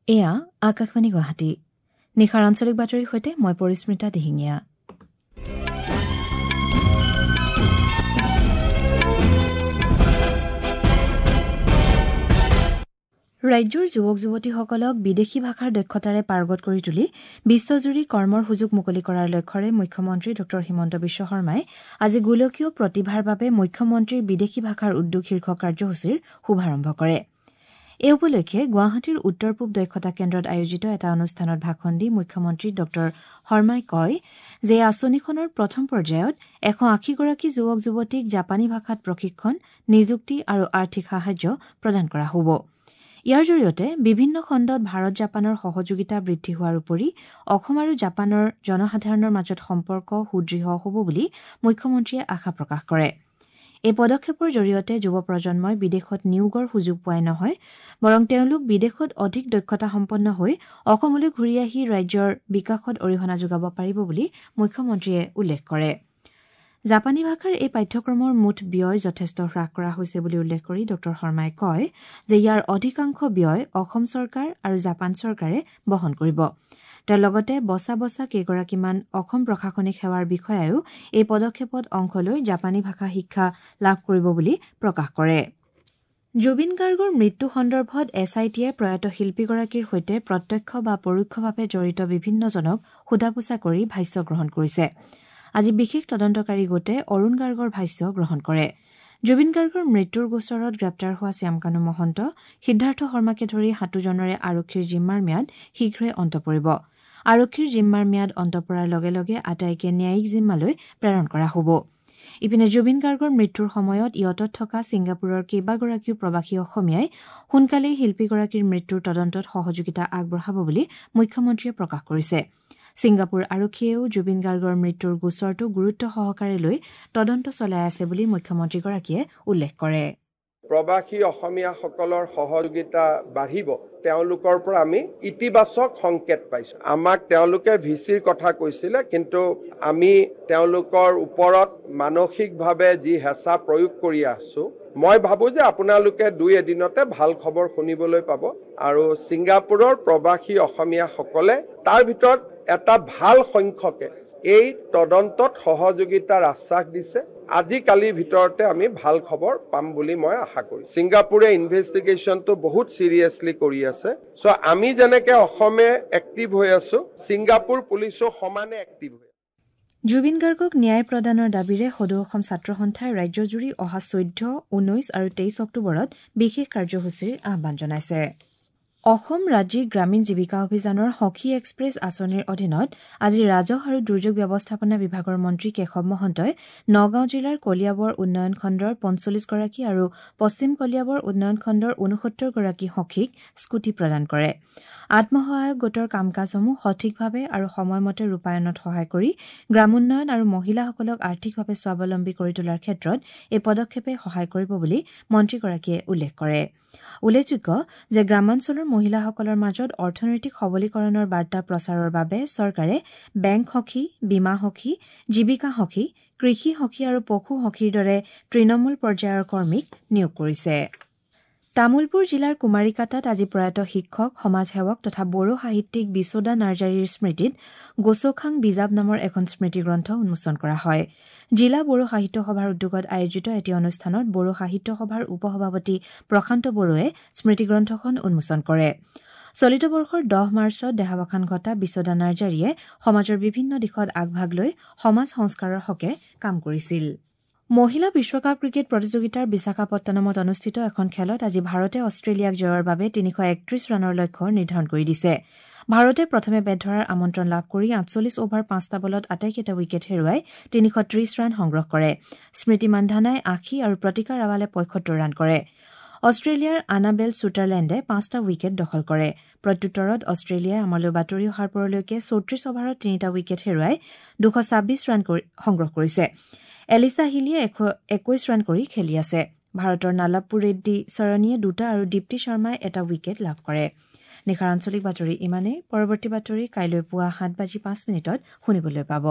এয়া আকাশবাণী গুৱাহাটী। নিশাৰ আঞ্চলিক বাতৰিৰ সৈতে মই পৰিস্মিতা দিহিঙীয়া। ৰাজ্যৰ যুৱক যুৱতীসকলক বিদেশী ভাষাৰ দক্ষতাৰে পাৰ্গত কৰি তুলি বিশ্বজুৰি কৰ্মৰ সুযোগ মুকলি কৰাৰ লক্ষ্যৰে মুখ্যমন্ত্ৰী ড হিমন্ত বিশ্ব শৰ্মাই আজি গোলকীয় প্ৰতিভাৰ বাবে মুখ্যমন্ত্ৰীৰ বিদেশী ভাষাৰ উদ্যোগ শীৰ্ষক কাৰ্যসূচীৰ শুভাৰম্ভ কৰে। এই উপলক্ষে গুৱাহাটীৰ উত্তৰ পূব দক্ষতা কেন্দ্ৰত আয়োজিত এটা অনুষ্ঠানত ভাষণ দি মুখ্যমন্ত্ৰী ড শৰ্মাই কয় যে এই আঁচনিখনৰ প্ৰথম পৰ্যায়ত ১৮০গৰাকী যুৱক যুৱতীক জাপানী ভাষাত প্ৰশিক্ষণ, নিযুক্তি আৰু আৰ্থিক সাহায্য প্ৰদান কৰা হ'ব। ইয়াৰ জৰিয়তে বিভিন্ন খণ্ডত ভাৰত জাপানৰ সহযোগিতা বৃদ্ধি হোৱাৰ উপৰি অসম আৰু জাপানৰ জনসাধাৰণৰ মাজত সম্পৰ্ক সুদৃঢ় হ'ব বুলি মুখ্যমন্ত্ৰীয়ে আশা প্ৰকাশ কৰে। এই পদক্ষেপৰ জৰিয়তে যুৱ প্ৰজন্মই বিদেশত নিয়োগৰ সুযোগ পোৱাই নহয়, বৰং তেওঁলোক বিদেশত অধিক দক্ষতাসম্পন্ন হৈ অসমলৈ ঘূৰি আহি ৰাজ্যৰ বিকাশত অৰিহণা যোগাব পাৰিব বুলি মুখ্যমন্ত্ৰীয়ে উল্লেখ কৰে। জাপানী ভাষাৰ এই পাঠ্যক্ৰমৰ মুঠ ব্যয় যথেষ্ট হ্ৰাস কৰা হৈছে বুলি উল্লেখ কৰি ড শৰ্মাই কয় যে ইয়াৰ অধিকাংশ ব্যয় অসম চৰকাৰ আৰু জাপান চৰকাৰে বহন কৰিব। তেওঁ লগতে বচা বচা কেইগৰাকীমান অসম প্ৰশাসনিক সেৱাৰ বিষয়ায়ো এই পদক্ষেপত অংশ লৈ জাপানী ভাষা শিক্ষা লাভ কৰিব বুলি প্ৰকাশ কৰে। জুবিন গাৰ্গৰ মৃত্যু সন্দৰ্ভত এছ I টিয়ে প্ৰয়াত শিল্পীগৰাকীৰ সৈতে প্ৰত্যক্ষ বা পৰোক্ষভাৱে জড়িত বিভিন্নজনক সোধা পোছা কৰি ভাষ্য গ্ৰহণ কৰিছে। আজি বিশেষ তদন্তকাৰী গোটে অৰুণ গাৰ্গৰ ভাষ্য গ্ৰহণ কৰে। জুবিন গাৰ্গৰ মৃত্যুৰ গোচৰত গ্ৰেপ্তাৰ হোৱা শ্যামকানু মহন্ত, সিদ্ধাৰ্থ শৰ্মাকে ধৰি সাতোজনৰে আৰক্ষীৰ জিম্মাৰ ম্যাদ শীঘ্ৰে অন্ত পৰিব। আৰক্ষীৰ জিম্মাৰ ম্যাদ অন্ত পৰাৰ লগে লগে আটাইকে ন্যায়িক জিম্মালৈ প্ৰেৰণ কৰা হ'ব। ইপিনে জুবিন গাৰ্গৰ মৃত্যুৰ সময়ত য়টত থকা ছিংগাপুৰৰ কেইবাগৰাকীও প্ৰৱাসী অসমীয়াই সোনকালেই শিল্পীগৰাকীৰ মৃত্যুৰ তদন্তত সহযোগিতা আগবঢ়াব বুলি মুখ্যমন্ত্ৰীয়ে প্ৰকাশ কৰিছে। ছিংগাপুৰ আৰক্ষীয়েও জুবিন গাৰ্গৰ মৃত্যুৰ গোচৰটো গুৰুত্ব সহকাৰে লৈ তদন্ত চলাই আছে বুলি মুখ্যমন্ত্ৰীগৰাকীয়ে উল্লেখ কৰে। প্ৰৱাসী অসমীয়াসকলৰ সহযোগিতা বাঢ়িব, তেওঁলোকৰ পৰা আমি ইতিবাচক সংকেত পাইছোঁ। আমাক তেওঁলোকে ভি চিৰ কথা কৈছিলে, কিন্তু আমি তেওঁলোকৰ ওপৰত মানসিকভাৱে যি হেঁচা প্ৰয়োগ কৰি আছোঁ, মই ভাবোঁ যে আপোনালোকে দুই এদিনতে ভাল খবৰ শুনিবলৈ পাব। আৰু ছিংগাপুৰৰ প্ৰৱাসী অসমীয়াসকলে তাৰ ভিতৰত এটা ভাল সংখ্যকে এই তদন্তত সহযোগিতাৰ আশ্বাস দিছে। আজিকালিৰ ভিতৰতে আমি ভাল খবৰ পাম বুলি মই আশা কৰিছোঁ। ছিংগাপুৰে ইনভেষ্টিগেশ্যনটো বহুত চিৰিয়াছলি কৰি আছে। চ' আমি যেনেকৈ অসমে এক্টিভ হৈ আছোঁ, ছিংগাপুৰ পুলিচো সমানে এক্টিভ হৈ আছে। জুবিন গাৰ্গক ন্যায় প্ৰদানৰ দাবীৰে সদৌ অসম ছাত্ৰ সন্থাই ৰাজ্যজুৰি অহা ১৪, ১৯ আৰু ২৩ অক্টোবৰত বিশেষ কাৰ্যসূচীৰ আহ্বান জনাইছে। অসম ৰাজ্যিক গ্ৰামীণ জীৱিকা অভিযানৰ সখী এক্সপ্ৰেছ আঁচনিৰ অধীনত আজি ৰাজহ আৰু দুৰ্যোগ ব্যৱস্থাপনা বিভাগৰ মন্ত্ৰী কেশৱ মহন্তই নগাঁও জিলাৰ কলিয়াবৰ উন্নয়ন খণ্ডৰ ৪৫গৰাকী আৰু পশ্চিম কলিয়াবৰ উন্নয়ন খণ্ডৰ ৬৯গৰাকী সখীক স্কুটি প্ৰদান কৰে। আত্মসহায়ক গোটৰ কাম কাজসমূহ সঠিকভাৱে আৰু সময়মতে ৰূপায়ণত সহায় কৰি গ্ৰামোন্নয়ন আৰু মহিলাসকলক আৰ্থিকভাৱে স্বাৱলম্বী কৰি তোলাৰ ক্ষেত্ৰত এই পদক্ষেপে সহায় কৰিব বুলি মন্ত্ৰীগৰাকীয়ে উল্লেখ কৰে। উল্লেখযোগ্য যে গ্ৰামাঞ্চলৰ মহিলাসকলৰ মাজত অৰ্থনৈতিক সবলীকৰণৰ বাৰ্তা প্ৰচাৰৰ বাবে চৰকাৰে বেংক সখী, বীমা সখী, জীৱিকা সখী, কৃষি সখী আৰু পশু সখীৰ দৰে তৃণমূল পৰ্যায়ৰ কৰ্মীক নিয়োগ কৰিছে। তামুলপুৰ জিলাৰ কুমাৰীকাটাত আজি প্ৰয়াত শিক্ষক, সমাজসেৱক তথা বড়ো সাহিত্যিক বিশোদা নাৰ্জাৰীৰ স্মৃতিত গোচখাং বিজাব নামৰ এখন স্মৃতিগ্ৰন্থ উন্মোচন কৰা হয়। জিলা বড়ো সাহিত্য সভাৰ উদ্যোগত আয়োজিত এটি অনুষ্ঠানত বড়ো সাহিত্য সভাৰ উপসভাপতি প্ৰশান্ত বড়োৱে স্মৃতিগ্ৰন্থখন উন্মোচন কৰে। চলিত বৰ্ষৰ ১০ মাৰ্চত দেহাৱসান ঘটা বিশোদা নাৰ্জাৰীয়ে সমাজৰ বিভিন্ন দিশত আগভাগ লৈ সমাজ সংস্কাৰৰ হকে কাম কৰিছিল। মহিলা বিশ্বকাপ ক্ৰিকেট প্ৰতিযোগিতাৰ বিশাখাপট্টনমত অনুষ্ঠিত এখন খেলত আজি ভাৰতে অষ্ট্ৰেলিয়াক জয়ৰ বাবে ৩৩১ ৰানৰ লক্ষ্য নিৰ্ধাৰণ কৰি দিছে। ভাৰতে প্ৰথমে বেট ধৰাৰ আমন্ত্ৰণ লাভ কৰি ৪৮ অভাৰ ৫টা বলত আটাইকেইটা উইকেট হেৰুৱাই ৩৩০ ৰান সংগ্ৰহ কৰে। স্মৃতি মান্ধানাই ৮০ আৰু প্ৰতিকা ৰাৱালে ৭৫ ৰান কৰে। অষ্ট্ৰেলিয়াৰ আনাবেল ছুটাৰলেণ্ডে ৫টা উইকেট দখল কৰে। প্ৰত্যুত্তৰত অষ্ট্ৰেলিয়াই আমালৈ বাতৰি অহাৰ পৰলৈকে ৩৪ অভাৰত ৩টা উইকেট হেৰুৱাই ২২৬ ৰান সংগ্ৰহ কৰিছে। এলিছা হিলিয়ে ২১ ৰান কৰি খেলি আছে। ভাৰতৰ নালাপ্পু ৰেড্ডী চৰণীয়ে ২টা আৰু দীপ্তি শৰ্মাই এটা উইকেট লাভ কৰে। নিশাৰ আঞ্চলিক বাতৰি ইমানেই। পৰৱৰ্তী বাতৰি কাইলৈ পুৱা ৭:০৫ শুনিবলৈ পাব।